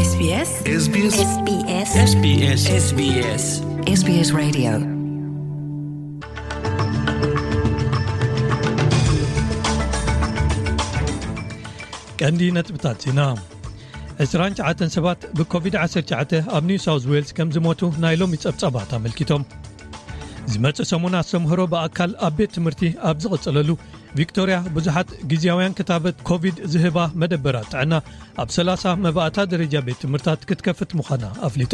SBS SBS SBS SBS SBS Radio. ቀንዲ ነጥብታት ዜና። ዕስራን ትሽዓተን ሰባት ብኮቪድ ዓሰርተ ትሽዓተ ኣብ ኒው ሳውዝ ዌልስ ከም ዝሞቱ ናይ ሎሚ ጸብጻባት ኣመልኪቶም። ዝመጽእ ሰሙን ኣስተምህሮ ብኣካል ኣብ ቤት ትምህርቲ ኣብ ዝቕጽለሉ፣ ቪክቶርያ ብዙሓት ግዝያውያን ክታበት ኮቪድ ዝህባ መደበራት ጥዕና ኣብ ሰላሳ መባእታ ደረጃ ቤት ትምህርታት ክትከፍት ምዃና ኣፍሊጣ።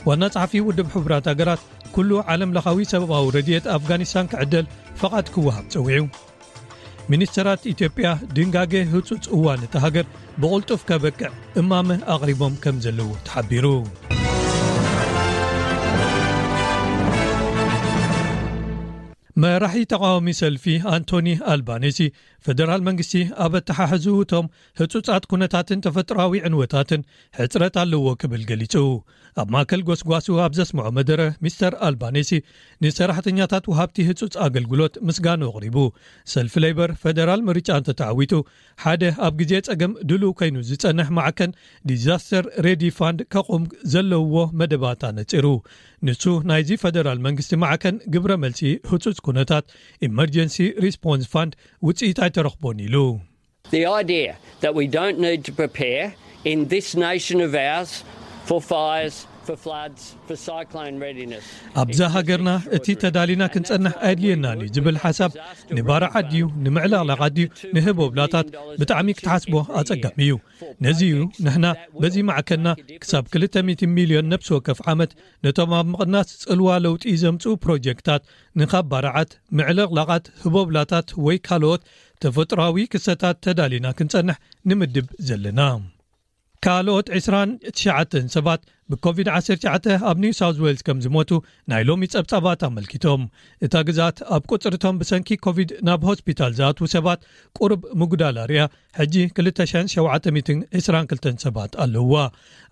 ዋና ጸሓፊ ውድብ ሕቡራት ሃገራት፣ ኩሉ ዓለም ለኻዊ ሰብኣዊ ረድኤት ኣፍጋኒስታን ክዕደል ፈቓድ ክወሃብ ጸዊዑ። ሚኒስተራት ኢትዮጵያ፣ ድንጋገ ህጹጽ እዋን እታ ሃገር ብቕልጡፍ ከበቅዕ እማመ ኣቕሪቦም ከም ዘለዉ ተሓቢሩ። መራሒ ተቓዋሚ ሰልፊ ኣንቶኒ ኣልባኔሲ፣ ፈደራል መንግስቲ ኣብ ኣተሓሕዝኡ እቶም ህጹጻት ኩነታትን ተፈጥሮኣዊ ዕንወታትን ሕጽረት ኣለዎ ክብል ገሊጹ። ኣብ ማእከል ጎስጓሱ ኣብ ዘስምዖ መደረ፣ ሚስተር ኣልባኔሲ ንሰራሕተኛታት ወሃብቲ ህጹጽ ኣገልግሎት ምስጋኑ ኣቕሪቡ። ሰልፊ ሌበር፣ ፈደራል ምርጫ እንተተዓዊቱ፣ ሓደ ኣብ ግዜ ጸገም ድሉው ኮይኑ ዝጸንሕ ማዕከን ዲዛስተር ሬዲ ፋንድ ከቑም ዘለዎ መደባት ኣነጺሩ። ንሱ፣ ናይዚ ፈደራል መንግስቲ ማዕከን ግብረ መልሲ ህጹጽ ኩነታት፣ ኢመርጀንሲ ሪስፖንስ ፋንድ፣ ውጽኢት ኣይተረኽቦን ኢሉ። The idea that we don't need to prepare in this nation of ours for fires, for floods, for cyclone readiness. ኣብዛ ሃገርና እቲ ተዳሊና ክንጸንሕ ኣየድልየናን እዩ ዝብል ሓሳብ፣ ንባርዓት ድዩ ንምዕልቕላቓት ድዩ ንህቦብላታት ብጣዕሚ ክትሓስቦ ኣጸጋሚ እዩ። ነዚ እዩ ንሕና በዚ ማዕከንና ክሳብ ክልተ ሚእቲ ሚልዮን ነብሲ ወከፍ ዓመት ነቶም ኣብ ምቕናስ ጽልዋ ለውጢ ዘምጽኡ ፕሮጀክታት ንኻብ ባርዓት፣ ምዕልቕላቓት፣ ህቦብላታት ወይ ካልኦት ተፈጥሮኣዊ ክስተታት ተዳሊና ክንጸንሕ ንምድብ ዘለና። ካልኦት ዕስራን ትሽዓተን ሰባት ብኮቪድ ዓሰርተ ትሽዓተ ኣብ ኒው ሳውዝ ዌልስ ከም ዝሞቱ ናይ ሎሚ ጸብጻባት ኣመልኪቶም። እታ ግዝኣት ኣብ ቁጽርቶም ብሰንኪ ኮቪድ ናብ ሆስፒታል ዝኣትዉ ሰባት ቁሩብ ምጉዳል ኣርእያ፣ ሕጂ ክልተ ሽሕን ሸውዓተ ሚእትን ዕስራን ክልተን ሰባት ኣለውዋ።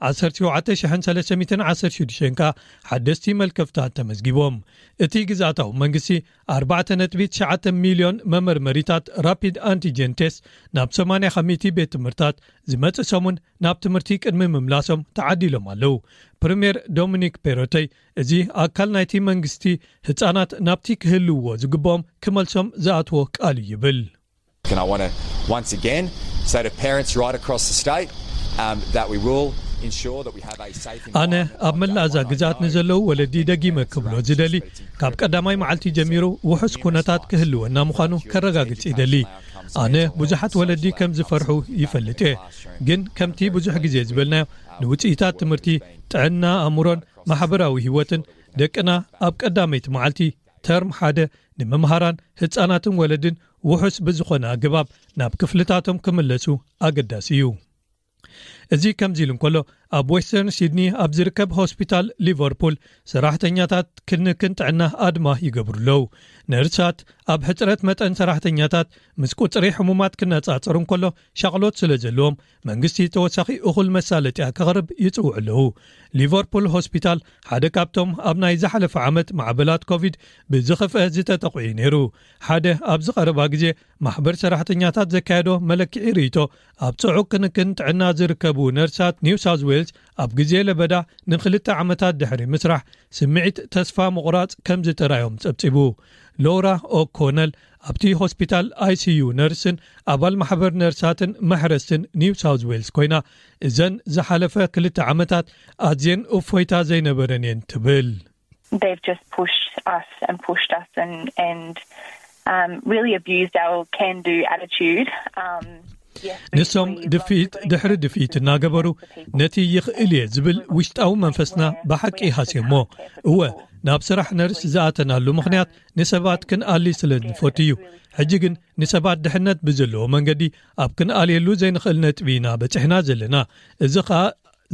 ዓሰርተ ሸውዓተ ሽሕን ሰለስተ ሚእትን ዓሰርተ ሽዱሽተን ከኣ ሓደስቲ መልከፍታት ተመዝጊቦም። እቲ ግዝኣታዊ መንግስቲ ኣርባዕተ ነጥቢ ትሽዓተ ሚልዮን መመርመሪታት ራፒድ ኣንቲጀን ቴስት ናብ ሰማንያ ካብ ሚእቲ ቤት ትምህርታት ዝመጽእ ሰሙን ናብ ትምህርቲ ቅድሚ ምምላሶም ተዓዲሎም ኣለዉ። ፕሪምየር ዶሚኒክ ፔሮተይ፣ እዚ ኣካል ናይቲ መንግስቲ ህጻናት ናብቲ ክህልውዎ ዝግብኦም ክመልሶም ዝኣትዎ ቃል እዩ ይብል። And I want to once again say to parents right across the state um, that we will ensure that we have a safe ኣነ ኣብ መላእ እዛ ግዝኣት ንዘለዉ ወለዲ ደጊመ ክብሎ ዝደሊ፣ ካብ ቀዳማይ መዓልቲ ጀሚሩ ውሑስ ኩነታት ክህልወና ምዃኑ ከረጋግጽ ይደሊ። ኣነ ብዙሓት ወለዲ ከም ዝፈርሑ ይፈልጥ እየ፣ ግን ከምቲ ብዙሕ ግዜ ዝበልናዮ፣ ንውጽኢታት ትምህርቲ፣ ጥዕና ኣእምሮን ማሕበራዊ ህይወትን ደቅና ኣብ ቀዳመይቲ መዓልቲ ተርም ሓደ ንመምሃራን ህጻናትን ወለድን ውሑስ ብዝኾነ ኣገባብ ናብ ክፍልታቶም ክምለሱ ኣገዳሲ እዩ። እዚ ከምዚ ኢሉ እንከሎ፣ ኣብ ዌስተርን ሲድኒ ኣብ ዝርከብ ሆስፒታል ሊቨርፑል ሰራሕተኛታት ክንክን ጥዕና ኣድማ ይገብሩ ኣለዉ። ነርሳት ኣብ ሕጽረት መጠን ሰራሕተኛታት ምስ ቁጽሪ ሕሙማት ክነጻጸሩ እንከሎ ሻቕሎት ስለ ዘለዎም መንግስቲ ተወሳኺ እኹል መሳለጥያ ከቕርብ ይጽውዑ ኣለዉ። ሊቨርፑል ሆስፒታል ሓደ ካብቶም ኣብ ናይ ዝሓለፈ ዓመት ማዕበላት ኮቪድ ብዝኸፍአ ዝተጠቕዑ እዩ ነይሩ። ሓደ ኣብዚ ቀረባ ግዜ ማሕበር ሰራሕተኛታት ዘካየዶ መለክዒ ርእይቶ ኣብ ጽዑቕ ክንክን ጥዕና ዝርከቡ ነርሳት ኒው ሳውዝ ዌልስ ኣብ ግዜ ለበዳ ንክልተ ዓመታት ድሕሪ ምስራሕ ስምዒት ተስፋ ምቑራጽ ከም ዝተራዮም ጸብጺቡ። ሎራ ኦኮነል ኣብቲ ሆስፒታል ኣይሲዩ ነርስን ኣባል ማሕበር ነርሳትን መሕረስትን ኒው ሳውዝ ዌልስ ኮይና እዘን ዝሓለፈ ክልተ ዓመታት ኣዝየን እፎይታ ዘይነበረን እየን ትብል። They've just pushed us and pushed us and and um, really abused our can do attitude. Um, ንሶም ድፍኢት ድሕሪ ድፍኢት እናገበሩ ነቲ ይኽእል እየ ዝብል ውሽጣዊ መንፈስና ብሓቂ ሃስዮሞ። እወ፣ ናብ ስራሕ ነርስ ዝኣተናሉ ምኽንያት ንሰባት ክንኣሊ ስለ ንፈቱ እዩ። ሕጂ ግን ንሰባት ድሕነት ብዘለዎ መንገዲ ኣብ ክንኣልየሉ ዘይንኽእል ነጥቢ ኢና በጺሕና ዘለና። እዚ ኸኣ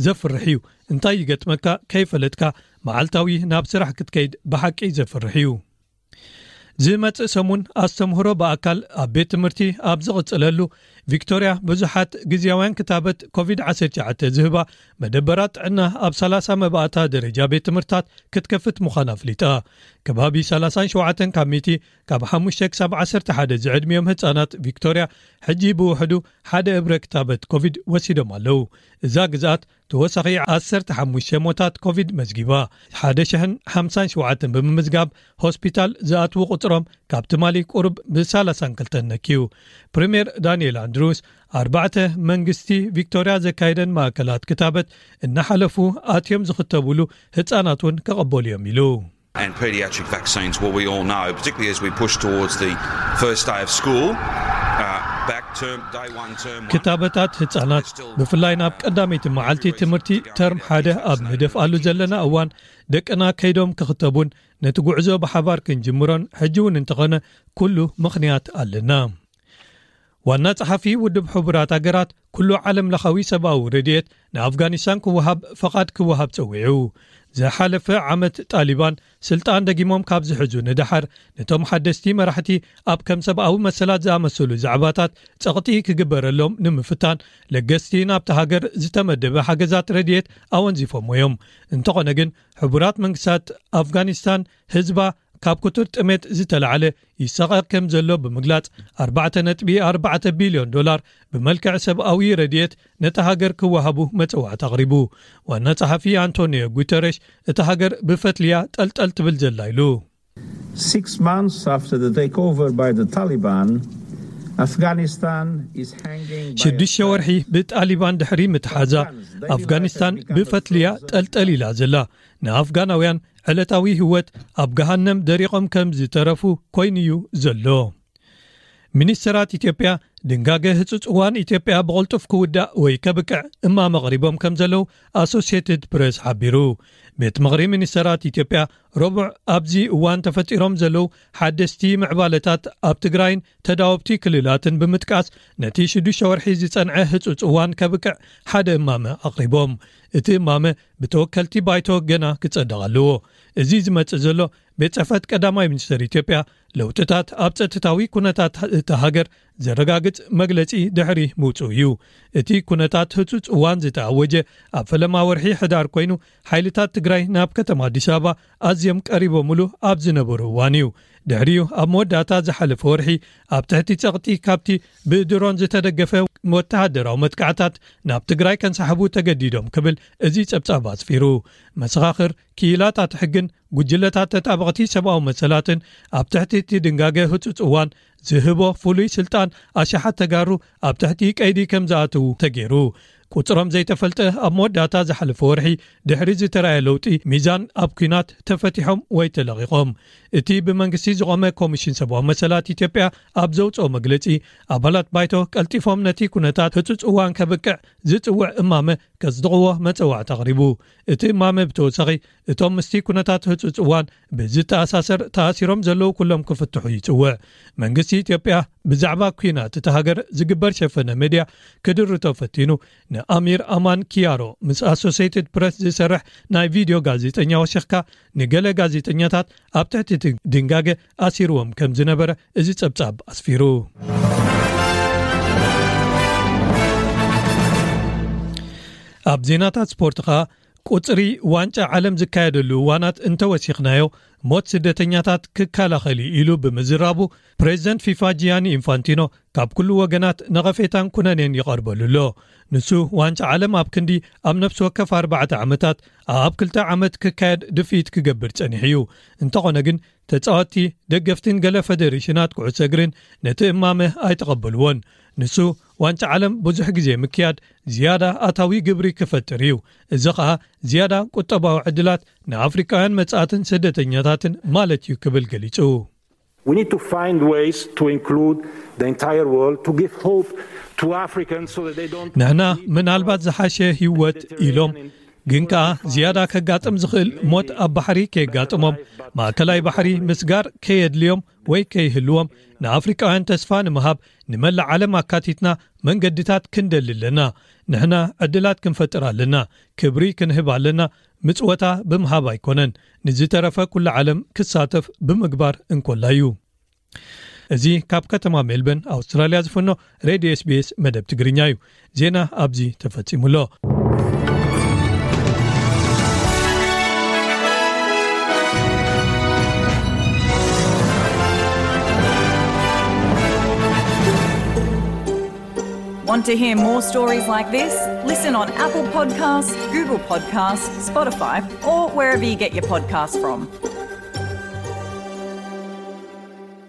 ዘፍርሕ እዩ። እንታይ ይገጥመካ ከይፈለጥካ መዓልታዊ ናብ ስራሕ ክትከይድ ብሓቂ ዘፍርሕ እዩ። ዝመጽእ ሰሙን ኣስተምህሮ ብኣካል ኣብ ቤት ትምህርቲ ኣብ ዝቕጽለሉ፣ ቪክቶርያ ብዙሓት ግዜያውያን ክታበት ኮቪድ ዓሰርተ ትሽዓተ ዝህባ መደበራት ጥዕና ኣብ ሰላሳ መባእታ ደረጃ ቤት ትምህርታት ክትከፍት ምዃና ኣፍሊጣ። ከባቢ ሰላሳን ሸውዓተን ካብ ሚእቲ ካብ ሓሙሽተ ክሳብ ዓሰርተ ሓደ ዝዕድሚኦም ህጻናት ቪክቶርያ ሕጂ ብውሕዱ ሓደ እብረ ክታበት ኮቪድ ወሲዶም ኣለዉ። እዛ ግዝኣት ተወሳኺ ዓሰርተ ሓሙሽተ ሞታት ኮቪድ መዝጊባ፣ ሓደ ሽሕን ሓምሳን ሸውዓተን ብምምዝጋብ ሆስፒታል ዝኣትዉ ቁጽሮም ካብ ትማሊ ቁሩብ ብሰላሳን ክልተን ነክዩ። ፕሪምየር ዳንኤል ኣንድሩስ ኣርባዕተ መንግስቲ ቪክቶርያ ዘካየደን ማእከላት ክታበት እናሓለፉ ኣትዮም ዝኽተቡሉ ህጻናት እውን ከቐበሉ እዮም ኢሉ። And paediatric vaccines, well, we all know, particularly as we push towards the first day of school, uh, back term, day one, term one. ክታበታት ህጻናት ብፍላይ ናብ ቀዳመይቲ መዓልቲ ትምህርቲ ተርም ሓደ ኣብ ንደፍኣሉ ዘለና እዋን ደቅና ከይዶም ክኽተቡን ነቲ ጉዕዞ ብሓባር ክንጅምሮን ሕጂ እውን እንተኾነ ኩሉ ምኽንያት ኣለና። ዋና ጸሓፊ ውድብ ሕቡራት ሃገራት ኩሉ ዓለም ለኻዊ ሰብኣዊ ረድኤት ንኣፍጋኒስታን ክወሃብ ፈቓድ ክወሃብ ጸዊዑ። ዝሓለፈ ዓመት ጣሊባን ስልጣን ደጊሞም ካብ ዝሕዙ ንደሓር ነቶም ሓደስቲ መራሕቲ ኣብ ከም ሰብኣዊ መሰላት ዝኣመሰሉ ዛዕባታት ጸቕጢ ክግበረሎም ንምፍታን ለገስቲ ናብቲ ሃገር ዝተመደበ ሓገዛት ረድኤት ኣወንዚፎሞ እዮም። እንተኾነ ግን ሕቡራት መንግስታት ኣፍጋኒስታን ህዝባ ካብ ክቱር ጥሜት ዝተላዕለ ይሰቐ ከም ዘሎ ብምግላጽ ኣርባዕተ ነጥቢ ኣርባዕተ ቢልዮን ዶላር ብመልክዕ ሰብኣዊ ረድኤት ነታ ሃገር ክወሃቡ መጸዋዕታ ኣቕሪቡ። ዋና ጸሓፊ ኣንቶኒዮ ጉተረሽ እታ ሃገር ብፈትልያ ጠልጠል ትብል ዘላ ኢሉ። Six months after the takeover by the Taliban, Afghanistan is hanging by a ሽዱሽተ ወርሒ ብጣሊባን ድሕሪ ምትሓዛ ኣፍጋኒስታን ብፈትልያ ጠልጠል ኢላ ዘላ። ንኣፍጋናውያን ዕለታዊ ህይወት ኣብ ገሃነም ደሪቖም ከም ዝተረፉ ኮይኑ'ዩ ዘሎ። ሚኒስተራት ኢትዮጵያ ድንጋገ ህጹጽ እዋን ኢትዮጵያ ብቕልጡፍ ክውዳእ ወይ ከብቅዕ እማመ ኣቕሪቦም ከም ዘለዉ ኣሶሲየትድ ፕሬስ ሓቢሩ። ቤት ምኽሪ ሚኒስተራት ኢትዮጵያ ረቡዕ ኣብዚ እዋን ተፈጢሮም ዘለዉ ሓደስቲ ምዕባለታት ኣብ ትግራይን ተዳወብቲ ክልላትን ብምጥቃስ ነቲ ሽዱሽተ ወርሒ ዝጸንዐ ህጹጽ እዋን ከብቅዕ ሓደ እማመ ኣቕሪቦም። እቲ እማመ ብተወከልቲ ባይቶ ገና ክጸድቕ ኣለዎ። እዚ ዝመጽእ ዘሎ ቤት ጽሕፈት ቀዳማይ ሚኒስተር ኢትዮጵያ ለውጥታት ኣብ ጸጥታዊ ኩነታት እታ ሃገር ዘረጋግጽ መግለጺ ድሕሪ ምውጽኡ እዩ። እቲ ኩነታት ህጹጽ እዋን ዝተኣወጀ ኣብ ፈለማ ወርሒ ሕዳር ኮይኑ ሓይልታት ትግራይ ናብ ከተማ ኣዲስ ኣበባ ኣዝዮም ቀሪቦምሉ ኣብ ዝነበሩ እዋን እዩ። ድሕሪኡ ኣብ መወዳእታ ዝሓለፈ ወርሒ ኣብ ትሕቲ ጸቕጢ ካብቲ ብድሮን ዝተደገፈ ወተሃደራዊ መጥቃዕታት ናብ ትግራይ ከንሳሕቡ ተገዲዶም ክብል እዚ ጸብጻብ ኣስፊሩ። መሰኻኽር ክኢላታት ሕግን ጉጅለታት ተጣበቕቲ ሰብኣዊ መሰላትን ኣብ ትሕቲ እቲ ድንጋገ ህጹጽ እዋን ዝህቦ ፍሉይ ስልጣን ኣሽሓት ተጋሩ ኣብ ትሕቲ ቀይዲ ከም ዝኣትዉ ተገይሩ። ቁጽሮም ዘይተፈልጠ ኣብ መወዳእታ ዝሓለፈ ወርሒ ድሕሪ ዝተራየ ለውጢ ሚዛን ኣብ ኲናት ተፈቲሖም ወይ ተለቒቖም። እቲ ብመንግስቲ ዝቖመ ኮሚሽን ሰብኣዊ መሰላት ኢትዮጵያ ኣብ ዘውጽኦ መግለጺ ኣባላት ባይቶ ቀልጢፎም ነቲ ኩነታት ህጹጽ እዋን ከብቅዕ ዝጽውዕ እማመ ከጽድቕዎ መጸዋዕታ ኣቕሪቡ። እቲ እማመ ብተወሳኺ እቶም ምስቲ ኩነታት ህጹጽ እዋን ብዝተኣሳሰር ተኣሲሮም ዘለዉ ኩሎም ክፍትሑ ይጽውዕ። መንግስቲ ኢትዮጵያ ብዛዕባ ኲናት እታ ሃገር ዝግበር ሸፈነ ሜድያ ክድርቶ ፈቲኑ። ንኣሚር ኣማን ኪያሮ ምስ ኣሶሲየትድ ፕረስ ዝሰርሕ ናይ ቪድዮ ጋዜጠኛ ወሲኽካ ንገለ ጋዜጠኛታት ኣብ ትሕቲ እቲ ድንጋገ ኣሲርዎም ከም ዝነበረ እዚ ጸብጻብ ኣስፊሩ። ኣብ ዜናታት ስፖርት ኸኣ ቁጽሪ ዋንጫ ዓለም ዝካየደሉ እዋናት እንተወሲኽናዮ ሞት ስደተኛታት ክከላኸል እዩ ኢሉ ብምዝራቡ ፕሬዚደንት ፊፋ ጂያኒ ኢንፋንቲኖ ካብ ኩሉ ወገናት ነቐፌታን ኩነኔን ይቐርበሉ ኣሎ። ንሱ ዋንጫ ዓለም ኣብ ክንዲ ኣብ ነፍሲ ወከፍ ኣርባዕተ ዓመታት ኣብ ክልተ ዓመት ክካየድ ድፍኢት ክገብር ጸኒሑ እዩ። እንተኾነ ግን ተጻወትቲ፣ ደገፍትን ገለ ፈደሬሽናት ኩዕሶ እግርን ነቲ እማመ ኣይተቐበልዎን። ንሱ ዋንጫ ዓለም ብዙሕ ግዜ ምክያድ ዝያዳ ኣታዊ ግብሪ ክፈጥር እዩ። እዚ ኸኣ ዝያዳ ቁጠባዊ ዕድላት ንኣፍሪቃውያን መጻእትን ስደተኛታትን ማለት እዩ ክብል ገሊጹ። We need to find ways to include the entire world, to give hope to Africans so that they don't ንሕና ምናልባት ዝሓሸ ህይወት ኢሎም ግን ከኣ ዝያዳ ከጋጥም ዝኽእል ሞት ኣብ ባሕሪ ከየጋጥሞም፣ ማእከላይ ባሕሪ ምስጋር ከየድልዮም ወይ ከይህልዎም ንኣፍሪቃውያን ተስፋ ንምሃብ ንመላእ ዓለም ኣካቲትና መንገድታት ክንደሊ ኣለና። ንሕና ዕድላት ክንፈጥር ኣለና፣ ክብሪ ክንህብ ኣለና። ምጽወታ ብምሃብ ኣይኮነን፣ ንዝተረፈ ኩሉ ዓለም ክሳተፍ ብምግባር እንኮላ እዩ። እዚ ካብ ከተማ ሜልበርን ኣውስትራልያ ዝፍኖ ሬድዮ ኤስቢኤስ መደብ ትግርኛ እዩ። ዜና ኣብዚ ተፈጺሙ ኣሎ። Want to hear more stories like this? Listen on Apple Podcasts, Google Podcasts, Spotify, or wherever you get your podcasts from.